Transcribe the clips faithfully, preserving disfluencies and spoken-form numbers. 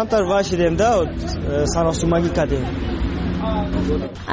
Камтар вашидем да, саросумагӣ кардем.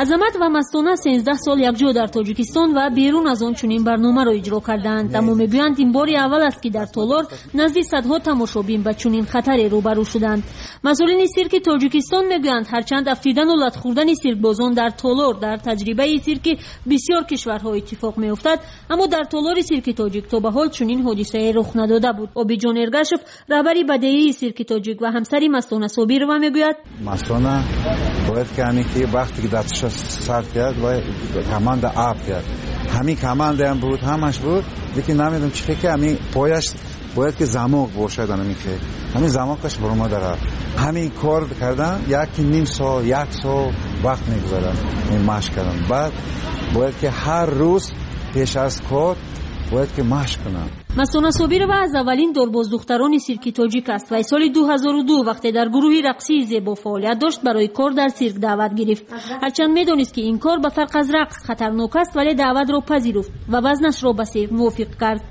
Азамат ва Мастона сенздаҳ сол якҷо дар Тоҷикистон ва берун аз он чунин барномаро иҷро кардаанд. Аммо мегӯянд, ин бори аввал аст, ки дар толор назди садҳо тамошобин ба чунин хатаре рӯбарӯ шуданд. Масъулини сирки Тоҷикистон мегӯянд, ҳарчанд афтидану лат хӯрдани сиркбозон дар толор дар таҷрибаи сирки бисёр кишварҳо иттифоқ меафтад, аммо дар толори сирки тоҷик то ба ҳол чунин ҳодисае рух надода буд. Обиҷон Эргашев, раҳбари бадеии сирки тоҷик ва ҳамсари Мастона Собирова, мегӯяд: Мастона бояд ки ҳамин ки вақте ки дасташа сар кард, бояд команда ап кард. Ҳамин командаам буд, ҳамаш буд, лекин намедонам чӣ ки ҳамин пояш бояд ки замок бошад, ҳамин ки ҳамин замокаш баромада рафт. Ҳамин кор кардан як ним сол, як сол вақт мегузарад ин машқ кардан. Баъд бояд ки ҳар рӯз пеш аз кор бояд ки машқ кунам. Мастона Собирова аз аввалин дорбоздухтарони сирки тоҷик аст ва соли ду ҳазору ду вақте дар гурӯҳи рақсии зебо фаъолият дошт, барои кор дар сирк даъват гирифт. Ҳарчанд медонист, ки ин кор ба фарқ аз рақс хатарнок аст, вале даъватро пазируфт ва вазнашро ба сирк мувофиқ кард.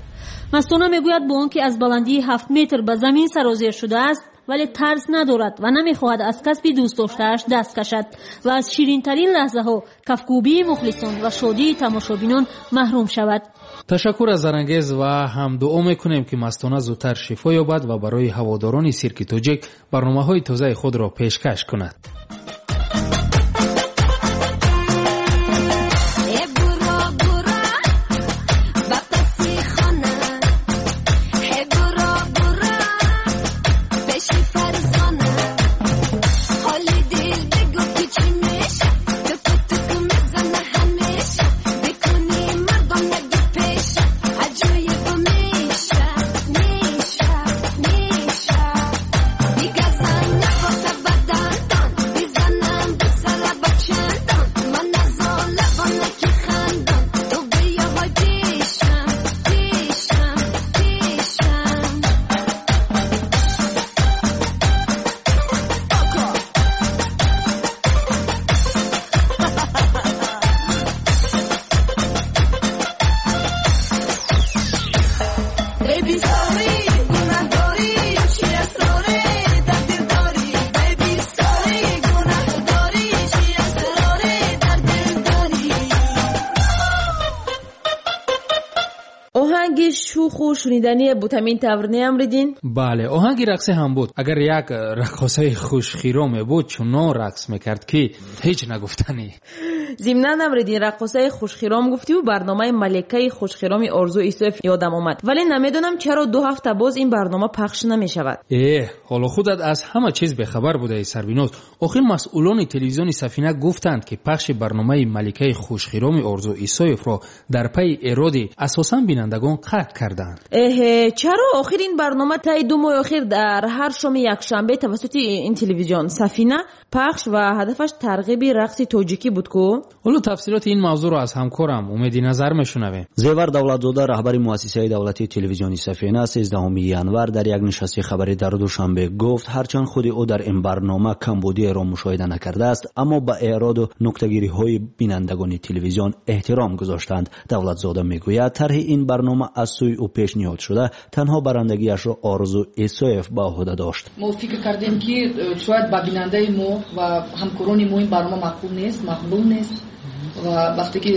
Мастона мегӯяд, бо он ки аз баландии ҳафт метр ба замин сарозер шудааст, вале тарс надорад ва намехоҳад аз касби дӯстдоштааш даст кашад ва аз ширинтарин лаҳзаҳо, кафкӯбии мухлисон ва шодии тамошобинон маҳрум шавад. Ташаккур аз Зарангез ва ҳам дуо мекунем, ки Мастона зудтар шифо ёбад ва барои ҳаводорони сирки тоҷик барномаҳои тозаи худро пешкаш кунад. Оҳанги шӯху шунидание буд, ҳамин тавр, не, Амриддин? Бале, оҳанги рақсӣ ҳам буд. Агар як раққосаи хушхироме буд, чунон рақс мекард, ки ҳеҷ нагуфтанӣ. Зимнан, Амриддин, раққосаи хушхиром гуфтиву барномаи Маликаи хушхироми Орзу Исоев ёдам омад, вале намедонам чаро ду ҳафта боз ин барнома пахш намешавад. Э, ҳоло худат аз ҳама чиз бехабар будаи, Сарвиноз. Охир масъулони телевизиони Сафина гуфтанд, ки пахши барномаи Маликаи хушхироми Орзу Исоевро дар пайи эроди асосан бинандагон қатъ карданд. Эҳе, чаро? Охир ин барнома таи ду моҳи охир дар ҳар шоми якшанбе тавассути ин телевизион Сафина пахш ва ҳадафаш тарғиби рақси тоҷикӣ буд ку? Ҳоло тафсилоти ин мавзӯъро аз ҳамкорам Умеди Назар мешунавем. Зевар Давлатзода, раҳбари муассисаи давлатии телевизиони Сафина, сездаҳуми январ дар як нишасти хабарӣ дар Душанбе гуфт, ҳарчанд худи ӯ дар ин барнома камбудиеро мушоҳида накардааст, аммо ба эроду нуктагириҳои бинандагони телевизион эҳтиром гузоштанд. Давлатзода мегӯяд, тарҳи ин барнома аз сӯи ӯ пешниҳод шуда, танҳо барандагиашро Орзу Исоев ба ӯҳда дошт. Мо фикр кардем, ки шояд ба бинандаи мо ва ҳамкорони мо ин барнома маъқул нест, мақбул нест ва вақте ки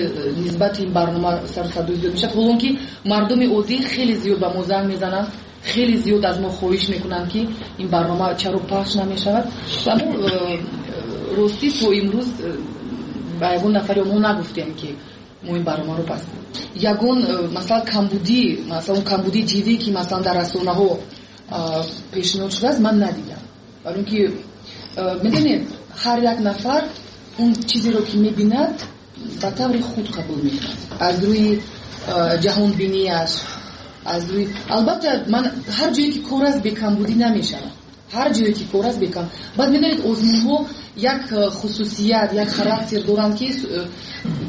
нисбати ин барнома сару садои зиёд мешавад, ҳолон ки мардуми оддӣ хеле зиёд ба мо занг мезананд, хеле зиёд аз мо хоҳиш мекунанд, ки ин барнома чаро пахш намешавад. Ва мо ростӣ то имрӯз ба ягон нафари мо нагуфтем, ки мо ин барномаро пас ягон масалан камбудӣ, масалан камбудии ҷиддӣ, ки масалан дар расонаҳо пешниҳод шудааст, ман надидам. Барои ин ки медонед, ҳар як нафар он чизеро ки мебинад, ба таври худ қабул мекунад, аз рӯи ҷаҳонбинияш, аз рӯи, албатта, ман ҳар ҷое ки кор аст, бекамбудӣ намешавад. Ҳар ҷое ки кор аст, бекам. Баъд медонед, озмунҳо як хусусият, як характер доранд, ки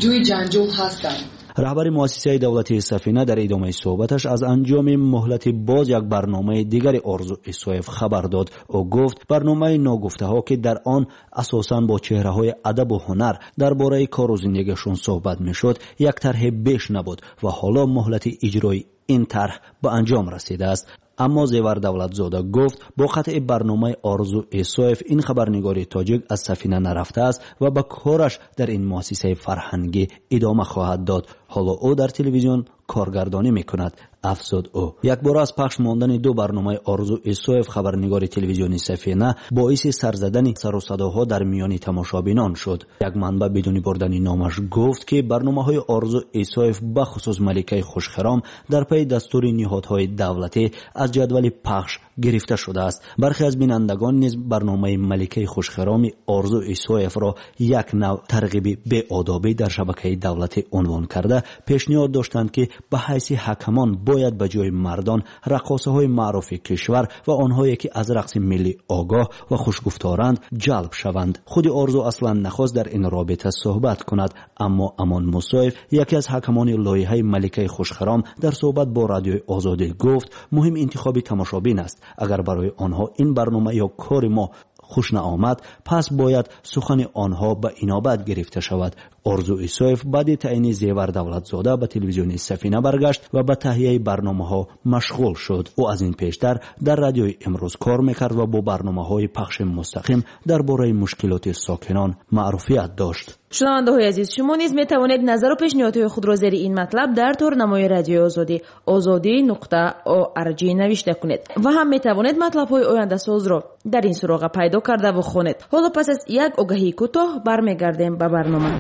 ҷои ҷанҷол ҳастанд. Раҳбари муассисаи давлатии Сафина дар идомаи суҳбаташ аз анҷоми муҳлати боз як барномаи дигари Орзу Исоев хабар дод. Ӯ гуфт, барномаи ногуфтаҳо, ки дар он асосан бо чеҳраҳои адабу ҳунар дар бораи кору зиндагиашон суҳбат мешуд, як тарҳи беш набуд ва ҳоло муҳлати иҷрои ин тарҳ ба анҷом расидааст. Аммо Зевар Давлатзода гуфт бо қатъи барномаи Орзу Исоев ин хабарнигори тоҷик аз Сафина нарафтааст ва ба кораш дар ин муассисаи фарҳангӣ идома хоҳад дод. Ҳоло ӯ дар телевизион коргардонӣ мекунад, афзуд ӯ. Якбора аз пахш мондани ду барномаи Орзу Исоев хабарнигори телевизиони Сафина боиси сарзадани сару садоҳо дар миёни тамошобинон шуд. Як манбаъ бидуни бурдани номаш гуфт, ки барномаҳои Орзу Исоев бахусус Маликаи хушхиром дар пайи дастури ниҳодҳои давлатӣ аз ҷадвали пахш гирифта шудааст. Бархе аз бинандагон низ барномаи Маликаи хушхироми Орзу Исоевро як нав тарғиби беодобӣ дар шабакаи давлатӣ унвон карда пешниҳод доштанд, ки ба ҳайси ҳакамон бояд ба ҷои мардон раққосаҳои маъруфи кишвар ва онҳое ки аз рақси миллӣ огоҳ ва хушгуфторанд ҷалб шаванд. Худи Орзу аслан нахост дар ин робита суҳбат кунад, аммо Амон Мусоев, яке аз ҳакамони лоиҳаи Маликаи хушхиром, дар суҳбат бо Радиои Озодӣ гуфт муҳим интихоби тамошобин аст. Агар барои онҳо ин барнома ё кори мо хуш наомад, пас бояд сухани онҳо ба инобат гирифта шавад. Орзу Исоев баъди таъйини Зевар Давлатзода ба телевизиони Сафина баргашт ва ба таҳияи барномаҳо машғул шуд. Ӯ аз ин пештар дар Радиои Имрӯз кор мекард ва бо барномаҳои пахши мустақим дар бораи мушкилоти сокинон маъруфият дошт. Шунавандаҳои азиз, шумо низ метавонед назару пешниҳодҳои худро зери ин матлаб дар торнамои Радиои Озодӣ озодӣ нуқта орг навишта кунед ва ҳам метавонед матлабҳои ояндасозро дар ин суроға пайдо кардаву хонед. Ҳоло пас аз як огаҳии кӯтоҳ бармегардем ба барнома.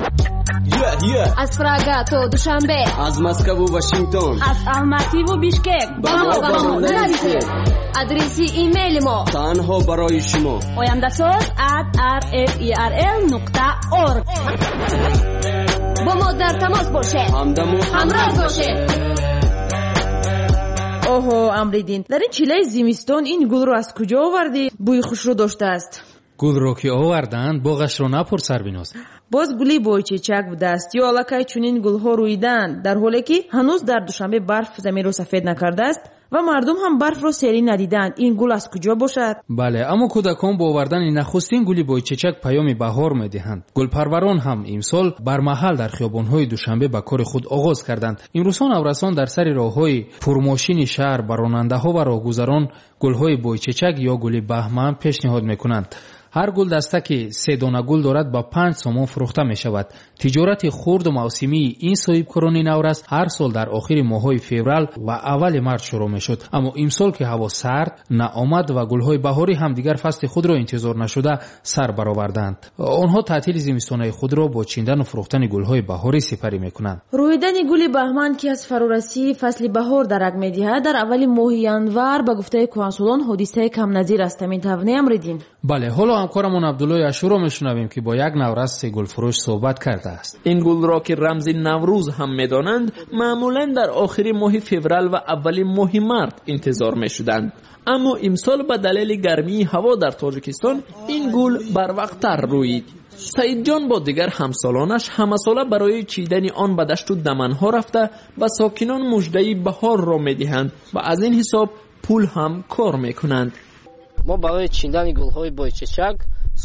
Аз Прага то Душанбе, аз Москву Вашингтон, аз Алмативу Бишкек ба мо ба мо нависед. Адреси имейли мо танҳо барои шумо ояндасоз at r f e r l нуқта org. Бо мо дар тамос бошед, ҳамдаму ҳамроҳ бошед. Оҳо, Амриддин, дар ин чилаи зимистон ин гулро аз куҷо овардӣ? Бӯи хушрӯ доштааст. Гулро ки оварданд, боғашро напурс, Сарбиноз. Боз гули бойчечак будааст ё аллакай чунин гулҳо рӯидаанд, дар ҳоле ки ҳанӯз дар Душанбе барф заминро сафед накардааст ва мардум ҳам барфро серӣ надидаанд. Ин гул аз куҷо бошад? Бале, аммо кӯдакон бо овардани нахустин гули бойчечак паёми баҳор медиҳанд. Гулпарварон ҳам имсол бармаҳал дар хиёбонҳои Душанбе ба кори худ оғоз карданд. Имрӯзҳо наврасон дар сари роҳҳои пурмошини шаҳр ба ронандаҳо ва роҳгузарон гулҳои бойчечак ё гули баҳман пешниҳод мекунанд. Ҳар гулдаста ки се дона гул дорад ба панҷ сомон фурӯхта мешавад. Тиҷорати хурду мавсимии ин соҳибкорони наврас ҳар сол дар охири моҳҳои феврал ва аввали март шурӯъ мешуд. Аммо имсол ки ҳаво сард наомад ва гулҳои баҳорӣ ҳам дигар фасли худро интизор нашуда сар бароварданд. Онҳо таътили зимистонаи худро бо чиндану фурӯхтани гулҳои баҳорӣ сипарӣ мекунанд. Рӯидани гули баҳман, ки аз фарорасии фасли баҳор дарак медиҳад, дар аввали моҳи январ ба гуфтаи кӯҳансолон ҳодисаи камназир аст. Ҳамин тавр не, Амриддин? Бале, ҳоло ҳамкорамон Абдуллои Ашуро мешунавем, ки бо як навраси гулфурӯш суҳбат кардааст. Ин гулро ки рамзи Наврӯз ҳам медонанд, маъмулан дар охири моҳи феврал ва аввали моҳи март интизор мешуданд. Аммо имсол ба далели гармии ҳаво дар Тоҷикистон ин гул барвақттар рӯид. Саидҷон бо дигар ҳамсолонаш ҳамасола барои чидани он ба дашту даманҳо рафта ба сокинон муждаи баҳорро медиҳанд ва аз ин ҳисоб пул ҳам кор мекунанд. Мо барои чидани гулҳои бойчечак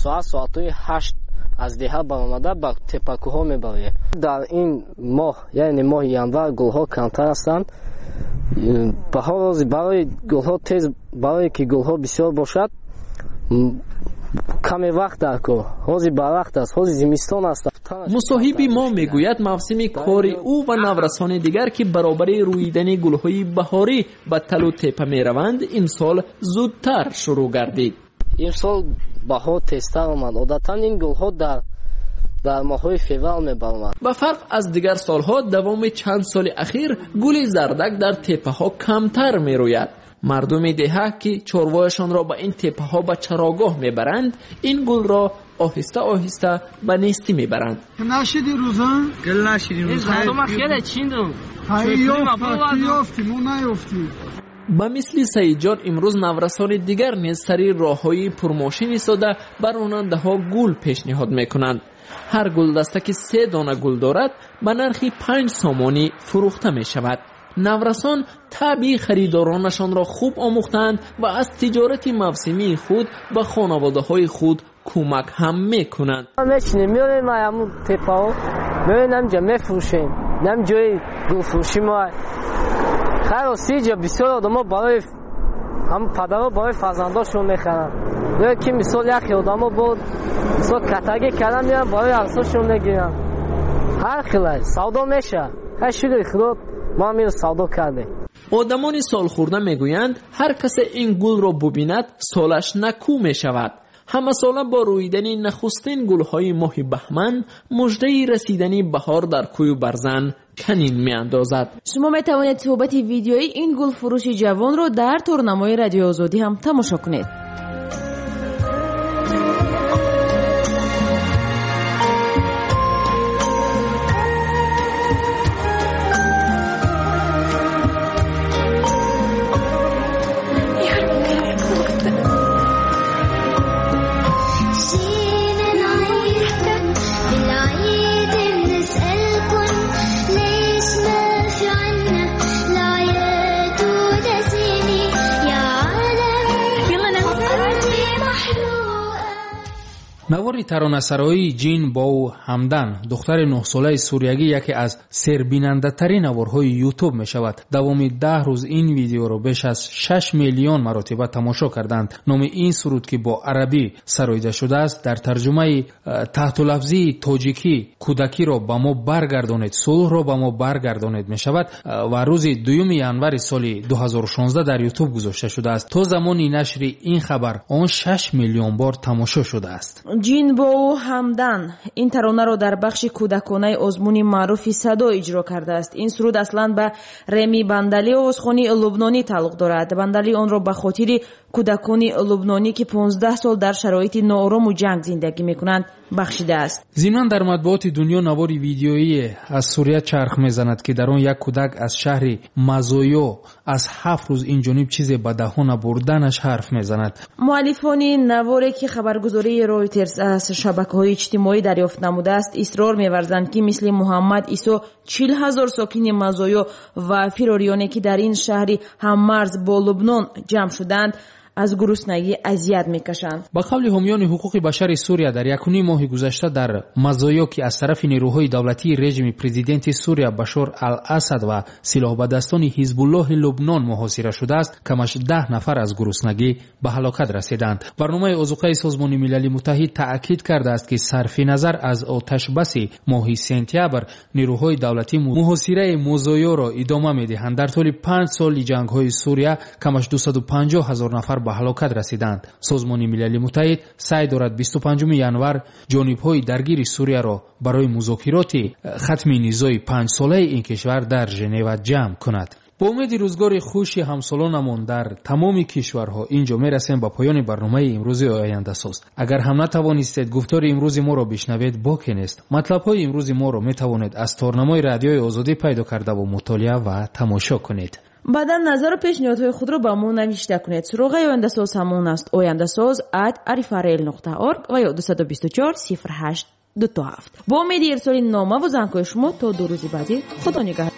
соат соатҳои ҳашт аз деҳа баромада ба теппакӯҳҳо мебароем. Дар ин моҳ, яъне моҳи январ, гулҳо камтар ҳастанд. Баҳор барои гулҳо тез, барое ки гулҳо бисёр бошад, каме вақт дар кор. Ҳозир барвақт аст, ҳозир зимистон аст. Мусоҳиби мо мегӯяд мавсими кори ӯ ва наврасони дигар, ки баробари рӯидани гулҳои баҳорӣ ба талу тепа мераванд, имсол зудтар шурӯъ гардид. Имсол баҳор тезтар омад. Одатан ин гулҳо дар дар моҳҳои феврал мебаромад. Ба фарқ аз дигар солҳо, давоми чанд соли ахир гули зардак дар теппаҳо камтар мерӯяд. Мардуми деҳа, ки чорвояшонро ба ин теппаҳо ба чарогоҳ мебаранд, ин гулро оҳиста оҳиста ба нестӣ мебаранд. Нашиди рӯза? Гул нашиди рӯза. Ба мисли Саидҷон имрӯз наврасони дигар низ сари роҳҳои пурмошин истода ба ронандаҳо гул пешниҳод мекунанд. Ҳар гулдаста ки се дона гул дорад ба нархи панҷ сомонӣ фурӯхта мешавад. Наврасон табъи харидоронашонро хуб омӯхтаанд ва аз тиҷорати мавсимии худ ба хонаводаҳои худ кӯмак ҳам мекунанд. Мечинем, меорем ҳамун теппаҳо, меорем ҳаминҷа мефурӯшем. Ҳам ҷои гулфурӯшӣ мо. Хайр, рости ҷа бисёр одамо барои Ҳам падарҳо барои фарзандошон мехаранд. Ё ки мисол яхе одамо бо мисол катагӣ кардан меянд, барои арсошон мегиранд. Ҳар хелай савдо мешавад. Ҳай шукри Худо, мо ҳам инро савдо кардем. Одамони солхӯрда мегӯянд, ҳар касе ин гулро бубинад, солаш накӯ мешавад. Ҳамасола бо рӯидани нахустин гулҳои моҳи баҳман муждаи расидани баҳор дар кӯю барзан канин меандозад. Шумо метавонед суҳбати видеои ин гулфурӯши ҷавонро дар торнамои Радиои Озодӣ ҳам тамошо кунед. Навори таронасароии Ҷин Боу Ҳамдан, духтари нӯҳсолаи суриягӣ, яке аз сербинандатарин наворҳои Ютуб мешавад. Давоми даҳ рӯз ин видеоро беш аз шаш миллион маротиба тамошо карданд. Номи ин суруд, ки бо арабӣ сароида шудааст, дар тарҷумаи таҳтулафзии тоҷикӣ кӯдакиро ба мо баргардонед, сулҳро ба мо баргардонед мешавад ва рӯзи дуюми январи соли ду ҳазору шонздаҳ дар Ютуб гузошта шудааст. То замони нашри ин хабар он шаш миллион бор тамошо шудааст. Ҷин Боу Ҳамдан ин таронаро дар бахши кӯдаконаи озмуни маъруфи Садо иҷро кардааст. Ин суруд аслан ба Реми Бандали, овозхони лубнонӣ тааллуқ дорад. Бандали онро ба хотири кӯдакони лубнонӣ, ки понздаҳ сол дар шароити ноорому ҷанг зиндагӣ мекунанд, бахшидааст. Зимнан дар матбуоти дунё навори видеоие аз Сурия чарх мезанад, ки дар он як кӯдак аз шаҳри Мазоё аз ҳафт рӯз ин ҷониб чизе ба даҳона бурданаш ҳарф мезанад. Муаллифони наворе, ки хабаргузории Ройтерс аз шабакаҳои иҷтимоӣ дарёфт намудааст, исрор меварзанд, ки мисли Муҳаммад Исо чил ҳазор сокини Мазоё ва фирориёне, ки дар ин шаҳри ҳаммарз бо Лубнон ҷамъ шуданд, аз гуруснагӣ азият мекашанд. Ба қавли ҳомиёни ҳуқуқи башари Сурия, дар якуним моҳи гузашта дар Мазоё, ки аз тарафи нерӯҳои давлатии режими президенти Сурия Башор ал-Асад ва силоҳбадастони Ҳизбуллоҳи Лубнон муҳосира шудааст, камаш даҳ нафар аз гуруснагӣ ба ҳалокат расиданд. Барномаи озуқаи Созмони Милали Муттаҳид таъкид кардааст, ки сарфи назар аз оташбаси моҳи сентябр нерӯҳои давлатӣ муҳосираи Мазоёро идома медиҳанд. Дар тӯли панҷ соли ҷангҳои Сурия камаш дусаду панҷоҳ ҳазор нафар ба ҳалокат расиданд. Созмони Милали Муттаҳид саъй дорад бисту панҷуми январ ҷонибҳои даргири Сурияро барои музокироти хатми низои панҷсолаи ин кишвар дар Женева ҷамъ кунад. Бо умеди рӯзгори хуши ҳамсолонамон дар тамоми кишварҳо инҷо мерасем ба поёни барномаи имрӯзи Ояндасоз. Агар ҳам натавонистед гуфтори имрӯзи моро бишнавед, боке нест. Матлабҳои имрӯзи моро метавонед аз торнамои Радиои Озодӣ пайдо кардаву мутолиа ва тамошо кунед. Баъдан назару пешниҳодҳои худро ба мо навишта кунед. Суроғаи Ояндасоз ҳамон аст: ояндасоз ат арифарел нуқта орг ва ё дусаду бисту чор сифр ҳашт ду ҳафт. Бо умеди ирсоли номаву зангҳои шумо то ду рӯзи баъдӣ, Худо нигаҳдор.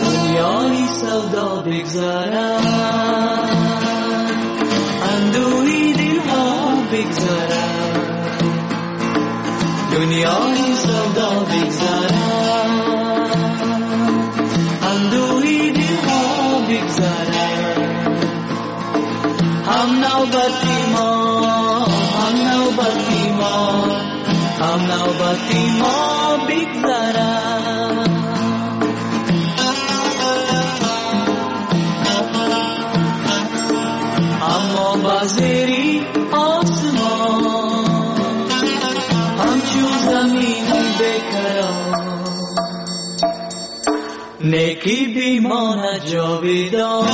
Дунёи савдо бигзарад, андӯҳи дилҳо бигзарад, дунёи савдо бигзарад, андӯҳи дилҳо бигзарад. Ҳам навбати мо, ҳам навбати мо, ҳам навбати мо бигзарад. Аммо ба зери осмон ҳамчун замини бекарон, некӣ бимонад ҷовидон.